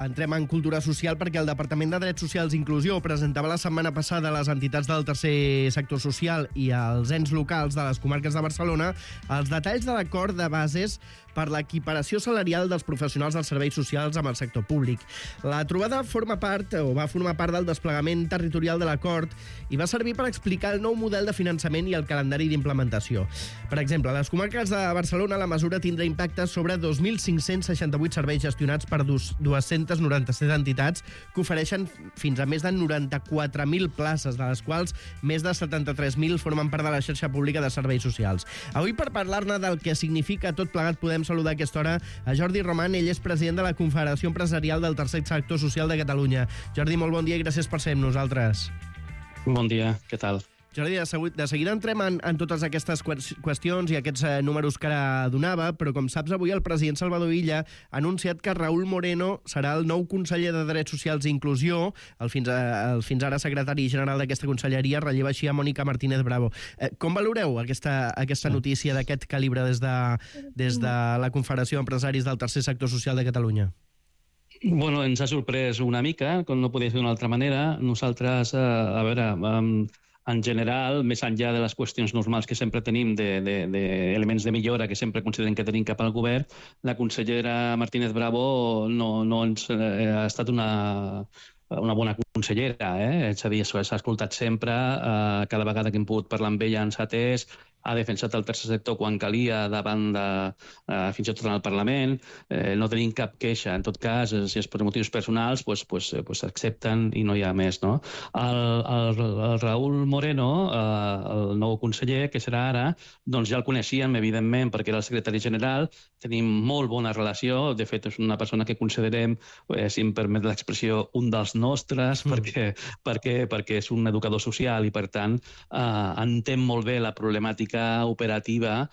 Entrem en cultura social perquè el Departament de Drets Socials i Inclusió presentava la setmana passada a les entitats del tercer sector social i als ens locals de les comarques de Barcelona els detalls de l'acord de bases per l'equiparació salarial dels professionals dels serveis socials amb el sector públic. La trobada va formar part del desplegament territorial de l'acord i va servir per explicar el nou model de finançament i el calendari d'implementació. Per exemple, a les comarques de Barcelona la mesura tindrà impacte sobre 2.568 serveis gestionats per 297 entitats que ofereixen fins a més de 94.000 places, de les quals més de 73.000 formen part de la xarxa pública de serveis socials. Avui, per parlar-ne del que significa tot plegat, podem saludar a aquesta hora a Jordi Roman. Ell és president de la Confederació Empresarial del Tercer Sector Social de Catalunya. Jordi, molt bon dia i gràcies per ser amb nosaltres. Bon dia, què tal? Jordi, de seguida entrem en totes aquestes qüestions i aquests números que ara donava, però com saps, avui el president Salvador Illa ha anunciat que Raúl Moreno serà el nou conseller de Drets Socials i Inclusió. El fins ara secretari general d'aquesta conselleria relleva així a Mònica Martínez Bravo. Com valoreu aquesta notícia d'aquest calibre des de la Confederació d'Empresaris del Tercer Sector Social de Catalunya? Bueno, ens ha sorprès una mica, com no podia ser d'una altra manera. Nosaltres, en general, més enllà de les qüestions normals que sempre tenim, d'elements de millora que sempre considerem que tenim cap al govern, la consellera Martínez Bravo no ens ha estat una bona consellera, és a dir, s'ha escoltat sempre, cada vegada que hem pogut parlar amb ella ens ha atès, ha defensat el tercer sector quan calia davant fins i tot en el Parlament. No tenim cap queixa. En tot cas, si és per motius personals, s'accepten i no hi ha més, no? El Raúl Moreno, el nou conseller, que serà ara, doncs ja el coneixíem, evidentment, perquè era el secretari general, tenim molt bona relació, de fet és una persona que considerem, si em permet l'expressió, un dels nostres, perquè és un educador social i, per tant, entén molt bé la problemàtica operativa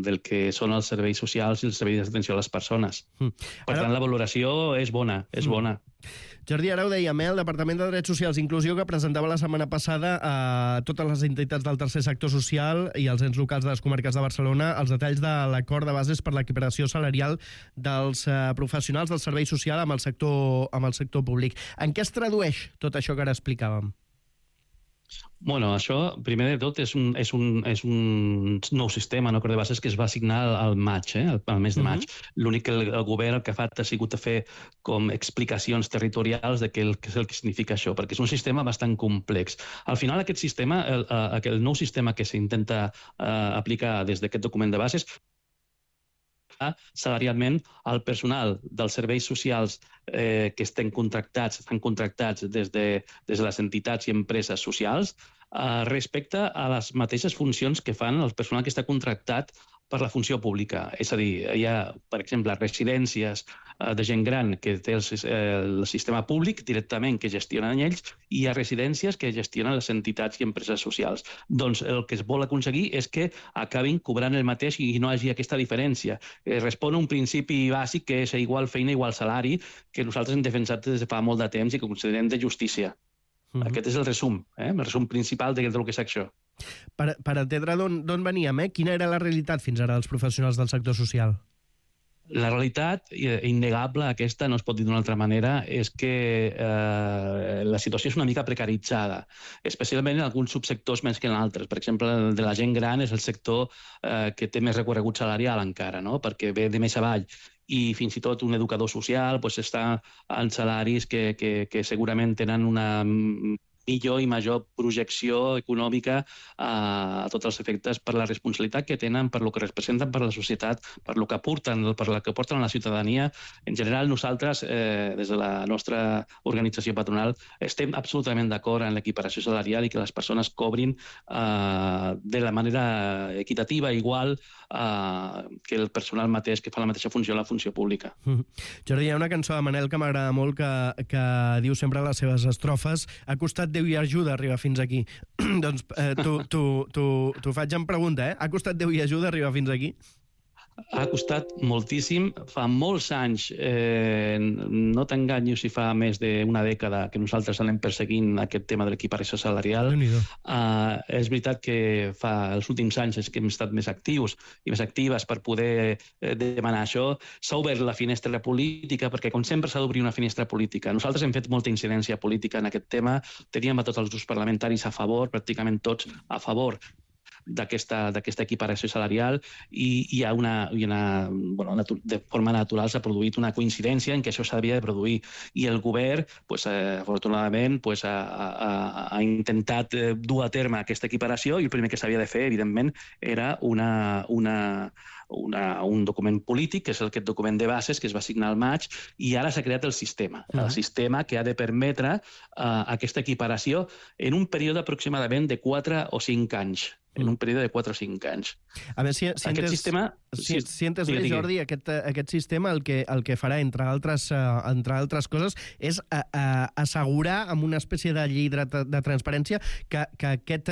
del que són els serveis socials i els serveis d'atenció a les persones. Per tant, la valoració és bona, és bona. Jordi, ara ho dèiem, el Departament de Drets Socials i Inclusió, que presentava la setmana passada a totes les entitats del tercer sector social i els ens locals de les comarques de Barcelona els detalls de l'acord de bases per l'equiparació salarial dels professionals del servei social amb el sector públic. En què es tradueix tot això que ara explicàvem? Bueno, això, primer de tot, és un nou sistema, no, de bases que es va assignar al maig, al mes de maig. L'únic que el govern el que ha fet ha sigut fer com explicacions territorials de què és el que significa això, perquè és un sistema bastant complex. Al final, aquest sistema, el nou sistema que s'intenta aplicar des d'aquest document de bases, salarialment el personal dels serveis socials que estan contractats des de les entitats i empreses socials respecte a les mateixes funcions que fan el personal que està contractat per la funció pública. És a dir, hi ha, per exemple, residències de gent gran que té el sistema públic directament que gestionen ells i hi ha residències que gestionen les entitats i empreses socials. Doncs el que es vol aconseguir és que acabin cobrant el mateix i no hi hagi aquesta diferència. Respon a un principi bàsic que és igual feina, igual salari, que nosaltres hem defensat des de fa molt de temps i que considerem de justícia. Aquest és el resum principal del que és això. Per entendre d'on veníem, quina era la realitat fins ara dels professionals del sector social? La realitat innegable, aquesta no es pot dir d'una altra manera, és que la situació és una mica precaritzada, especialment en alguns subsectors més que en altres. Per exemple, el de la gent gran és el sector que té més recorregut salarial encara, no? Perquè ve de més avall. I fins i tot un educador social està en salaris que segurament tenen una millor i major projecció econòmica a tots els efectes per la responsabilitat que tenen, per lo que representen per la societat, per lo que aporten, per la que aporten a la ciutadania. En general, nosaltres, des de la nostra organització patronal, estem absolutament d'acord en l'equiparació salarial i que les persones cobrin de la manera equitativa, igual que el personal mateix que fa la mateixa funció a la funció pública. Jordi, hi ha una cançó de Manel que m'agrada molt que diu sempre a les seves estrofes: ha costat Déu i ajuda arribar fins aquí. Doncs t'ho faig en pregunta, ha costat Déu i ajuda arribar fins aquí? Ha costat moltíssim. Fa molts anys, no t'enganyo si fa més d'una dècada que nosaltres anem perseguint aquest tema de l'equiparació salarial. És veritat que els últims anys és que hem estat més actius i més actives per poder demanar això. S'ha obert la finestra política, perquè com sempre s'ha d'obrir una finestra política. Nosaltres hem fet molta incidència política en aquest tema, teníem a tots els grups parlamentaris a favor, pràcticament tots a favor d'aquesta equiparació salarial, i hi ha de forma natural s'ha produït una coincidència en què això s'havia de produir, i el govern, afortunadament, ha intentat dur a terme aquesta equiparació, i el primer que s'havia de fer, evidentment, era un document polític, que és aquest document de bases que es va signar al maig, i ara s'ha creat el sistema que ha de permetre aquesta equiparació en un període aproximadament de 4 o 5 anys. En un període de 4 o 5 anys. A veure, si entes bé, Jordi, aquest sistema el que farà, entre altres coses, és assegurar amb una espècie de llei de transparència que aquest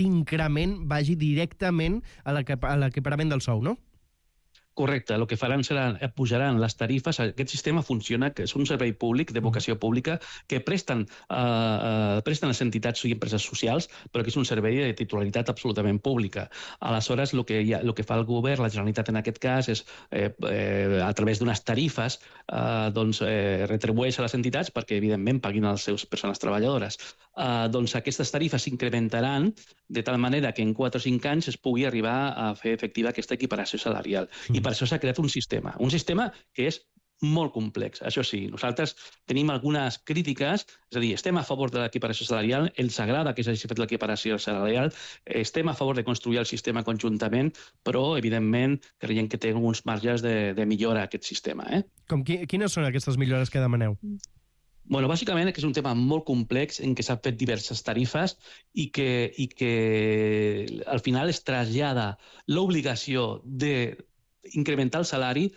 increment vagi directament a l'equiparament del sou, no? Correcte, el que faran serà pujaran les tarifes. Aquest sistema funciona, que és un servei públic de vocació pública que presten les entitats i empreses socials, però que és un servei de titularitat absolutament pública. Aleshores, el que fa el govern, la Generalitat en aquest cas, és a través d'unes tarifes retribueix a les entitats perquè, evidentment, paguin a les seves persones treballadores. Aquestes tarifes s'incrementaran de tal manera que en 4 o 5 anys es pugui arribar a fer efectiva aquesta equiparació salarial. I per això s'ha creat un sistema que és molt complex. Això sí, nosaltres tenim algunes crítiques, és a dir, estem a favor de l'equiparació salarial, ens agrada que s'hagi fet l'equiparació salarial, estem a favor de construir el sistema conjuntament, però, evidentment, creiem que té alguns marges de millora aquest sistema. Quines són aquestes millores que demaneu? Bàsicament és un tema molt complex en què s'han fet diverses tarifes i que al final es trasllada l'obligació d'incrementar el salari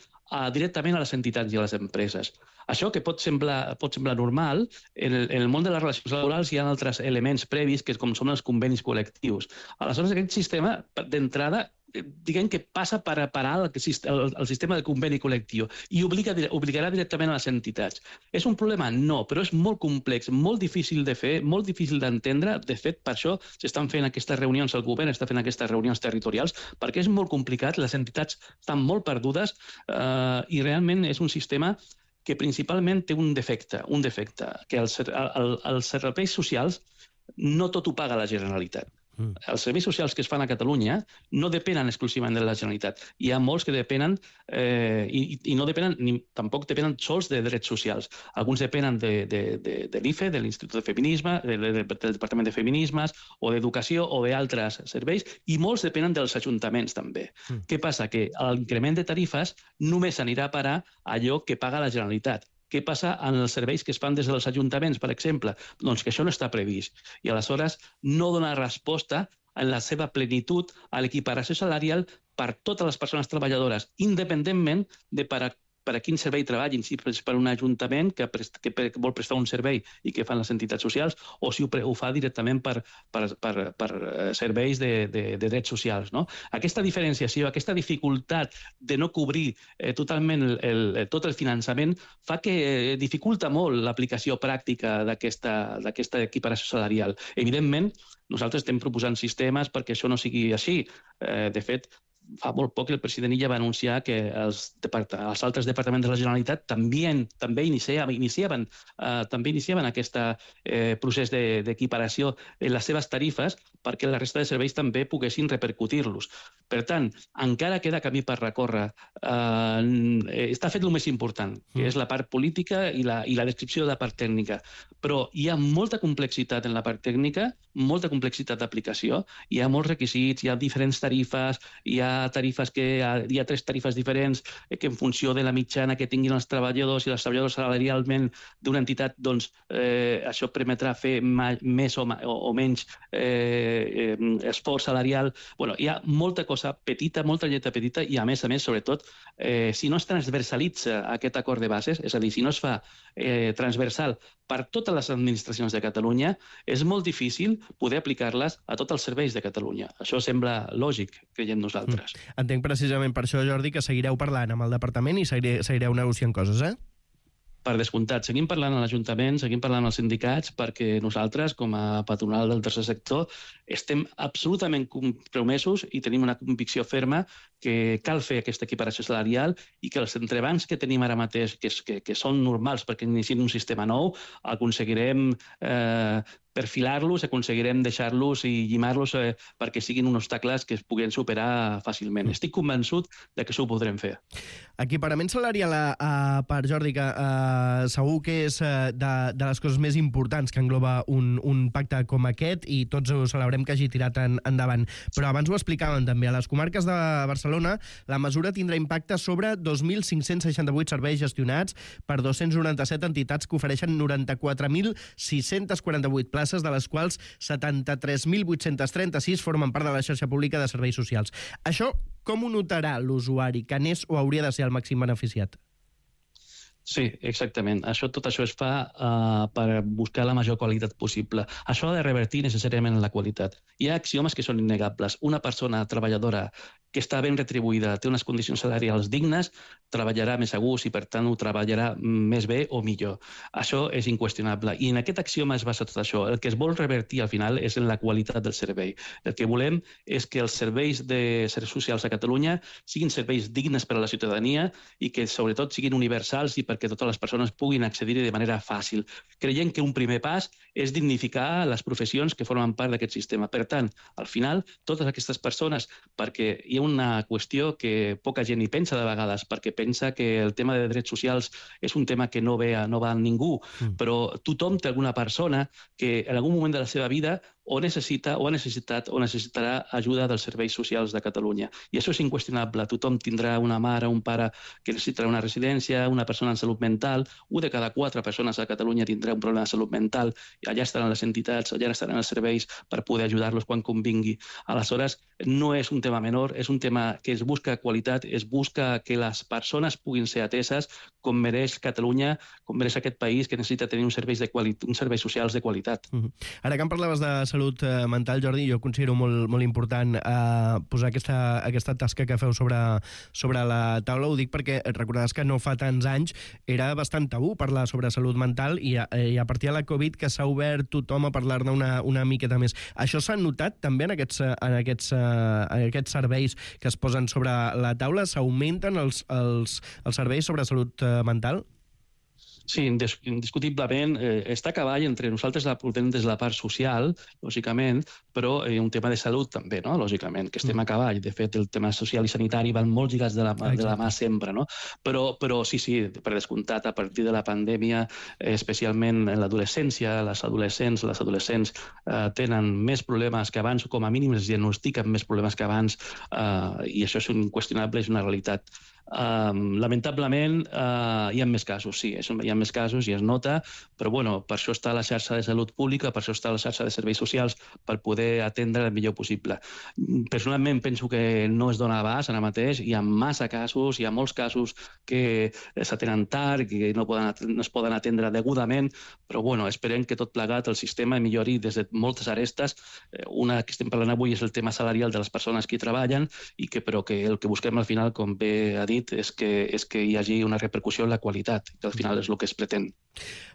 directament a les entitats i a les empreses. Això, que pot semblar normal, en el món de les relacions laborals hi ha altres elements previs, com són els convenis col·lectius. Aleshores, aquest sistema, d'entrada, diguem que passa per parar el sistema de conveni col·lectiu i obligarà directament a les entitats. És un problema? No, però és molt complex, molt difícil de fer, molt difícil d'entendre. De fet, per això s'estan fent aquestes reunions, el govern està fent aquestes reunions territorials, perquè és molt complicat, les entitats estan molt perdudes i realment és un sistema que principalment té un defecte, que els serveis socials no tot ho paga la Generalitat. Els serveis socials que es fan a Catalunya no depenen exclusivament de la Generalitat. Hi ha molts que depenen i no depenen, tampoc depenen sols de drets socials. Alguns depenen de l'IFE, de l'Institut de Feminisme, del Departament de Feminismes o d'Educació o d'altres serveis, i molts depenen dels ajuntaments també. Què passa? Que l'increment de tarifes només anirà a parar allò que paga la Generalitat. Què passa en els serveis que es fan des dels ajuntaments, per exemple? Doncs que això no està previst. I aleshores no dona resposta en la seva plenitud a l'equiparació salarial per totes les persones treballadores, independentment de per a quin servei treballin, si és per un ajuntament que vol prestar un servei i que fan les entitats socials, o si ho fa directament per serveis de drets socials. Aquesta diferenciació, aquesta dificultat de no cobrir totalment tot el finançament fa que dificulta molt l'aplicació pràctica d'aquesta equiparació salarial. Evidentment, nosaltres estem proposant sistemes perquè això no sigui així. De fet, fa molt poc el president Illa va anunciar que els altres departaments de la Generalitat també iniciaven aquest procés d'equiparació en les seves tarifes perquè la resta de serveis també poguessin repercutir-los. Per tant, encara queda camí per recórrer. Està fet el més important, que és la part política i la descripció de la part tècnica. Però hi ha molta complexitat en la part tècnica, molta complexitat d'aplicació, hi ha molts requisits, hi ha diferents tarifes, hi ha 3 tarifes diferents que en funció de la mitjana que tinguin els treballadors i les treballadores salarialment d'una entitat, doncs això permetrà fer més o menys esforç salarial. Hi ha molta cosa petita, molta lletra petita, i a més, sobretot, si no es transversalitza aquest acord de bases, és a dir, si no es fa transversal per totes les administracions de Catalunya, és molt difícil poder aplicar-les a tots els serveis de Catalunya. Això sembla lògic, creiem nosaltres. mesures. Entenc precisament per això, Jordi, que seguireu parlant amb el departament i seguireu negociant coses, eh? Per descomptat, seguim parlant a l'Ajuntament, seguim parlant als sindicats, perquè nosaltres, com a patronal del tercer sector, estem absolutament compromesos i tenim una convicció ferma que cal fer aquesta equiparació salarial i que els entrebancs que tenim ara mateix, que són normals perquè iniciem un sistema nou, aconseguirem perfilar-los, aconseguirem deixar-los i llimar-los perquè siguin uns obstacles que es puguin superar fàcilment. Estic convençut de que això ho podrem fer. Equiparament salarial per Jordi, que segur que és de les coses més importants que engloba un pacte com aquest i tots ho celebrem que hagi tirat endavant. Però abans ho explicaven també. A les comarques de Barcelona la mesura tindrà impacte sobre 2.568 serveis gestionats per 297 entitats que ofereixen 94.648 places, de les quals 73.836 formen part de la xarxa pública de serveis socials. Això com ho notarà l'usuari, que n'és o hauria de ser el màxim beneficiat? Sí, exactament. Tot això es fa per buscar la major qualitat possible. Això ha de revertir necessàriament en la qualitat. Hi ha axiomes que són innegables. Una persona treballadora que està ben retribuïda, té unes condicions salarials dignes, treballarà més a gust i, per tant, ho treballarà més bé o millor. Això és inqüestionable. I en aquest axioma es basa tot això. El que es vol revertir, al final, és en la qualitat del servei. El que volem és que els serveis de serveis socials a Catalunya siguin serveis dignes per a la ciutadania i que, sobretot, siguin universals i perquè totes les persones puguin accedir-hi de manera fàcil. Creiem que un primer pas és dignificar les professions que formen part d'aquest sistema. Per tant, al final, totes aquestes persones, perquè hi ha una qüestió que poca gent hi pensa de vegades, perquè pensa que el tema de drets socials és un tema que no va a ningú, però tothom té alguna persona que en algun moment de la seva vida o necessita, o ha necessitat, o necessitarà ajuda dels serveis socials de Catalunya. I això és inqüestionable. Tothom tindrà una mare o un pare que necessitarà una residència, una persona en salut mental, 1 de cada 4 persones a Catalunya tindrà un problema de salut mental, i allà estaran les entitats, allà estaran els serveis per poder ajudar-los quan convingui. Aleshores, no és un tema menor, és un tema que es busca qualitat, es busca que les persones puguin ser ateses com mereix Catalunya, com mereix aquest país, que necessita tenir uns serveis socials de qualitat. Ara que em parlaves de salut mental, Jordi, jo considero molt important posar aquesta tasca que feu sobre la taula. Ho dic perquè recordaràs que no fa tants anys era bastant tabú parlar sobre salut mental i a partir de la Covid que s'ha obert tothom a parlar-ne una miqueta més. Això s'ha notat també en aquests serveis que es posen sobre la taula? S'augmenten els serveis sobre salut mental? Sí, indiscutiblement està a cavall entre nosaltres la portem des de la part social, lògicament, però un tema de salut també, no? Lògicament, que estem a cavall. De fet, el tema social i sanitari van molt lligats de la mà sempre, no? Però sí, per descomptat, a partir de la pandèmia, especialment en l'adolescència, les adolescents tenen més problemes que abans, o com a mínim es diagnostiquen més problemes que abans, i això és inqüestionable, és una realitat. Lamentablement hi ha més casos, sí, hi ha més casos i es nota, però per això està la xarxa de salut pública, per això està la xarxa de serveis socials, per poder atendre el millor possible. Personalment penso que no es dona abast ara mateix, hi ha massa casos, hi ha molts casos que s'atenen tard, que no es poden atendre degudament, però esperem que tot plegat el sistema millori des de moltes arestes. Una que estem parlant avui és el tema salarial de les persones que hi treballen, però que el que busquem al final, com bé ha dit, és que hi hagi una repercussió en la qualitat, que al final és el que es pretén.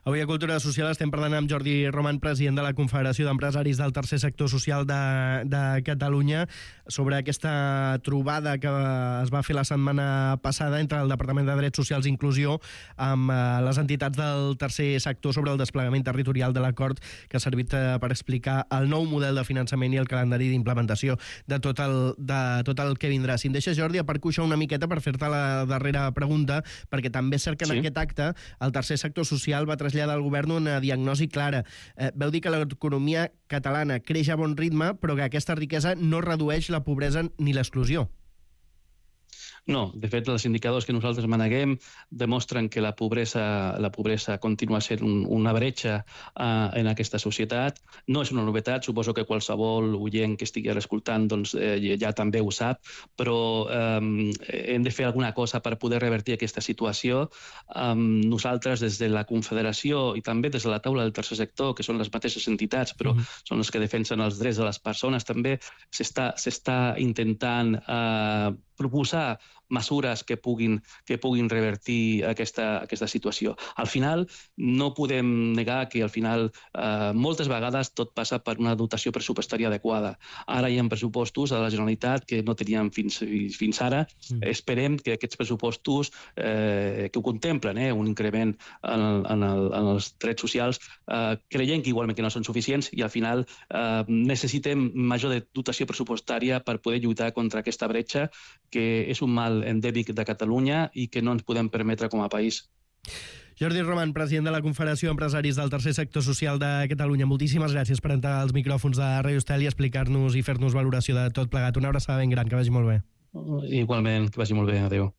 Avui a Cultura Social estem parlant amb Jordi Roman, president de la Confederació d'Empresaris del Tercer Sector Social de Catalunya, sobre aquesta trobada que es va fer la setmana passada entre el Departament de Drets Socials i Inclusió amb les entitats del tercer sector sobre el desplegament territorial de l'acord, que ha servit per explicar el nou model de finançament i el calendari d'implementació de tot el que vindrà. Si em deixes, Jordi, aparco això una miqueta per fer-te la darrera pregunta, perquè també és cert que en aquest acte el tercer sector social va traslladar al govern una diagnosi clara. Veu dir que l'economia catalana creix a bon ritme, però que aquesta riquesa no redueix la pobresa ni l'exclusió. No, de fet, els indicadors que nosaltres maneguem demostren que la pobresa continua sent una bretxa en aquesta societat. No és una novetat, suposo que qualsevol oient que estigui escoltant doncs, ja també ho sap, però hem de fer alguna cosa per poder revertir aquesta situació. Nosaltres, des de la Confederació i també des de la taula del tercer sector, que són les mateixes entitats, però són les que defensen els drets de les persones, també s'està intentant proposar mesures que puguin revertir aquesta situació. Al final, no podem negar que al final moltes vegades tot passa per una dotació pressupostària adequada. Ara hi ha pressupostos a la Generalitat que no teníem fins ara. Esperem que aquests pressupostos que ho contemplen, un increment en els drets socials, creiem que igualment que no són suficients i al final necessitem major dotació pressupostària per poder lluitar contra aquesta bretxa, que és un mal endèmic de Catalunya i que no ens podem permetre com a país. Jordi Roman, president de la Confederació d'Empresaris del Tercer Sector Social de Catalunya, moltíssimes gràcies per entrar als micròfons de Radio Estel i explicar-nos i fer-nos valoració de tot plegat. Una abraçada ben gran, que vagi molt bé. Igualment, que vagi molt bé. Adéu.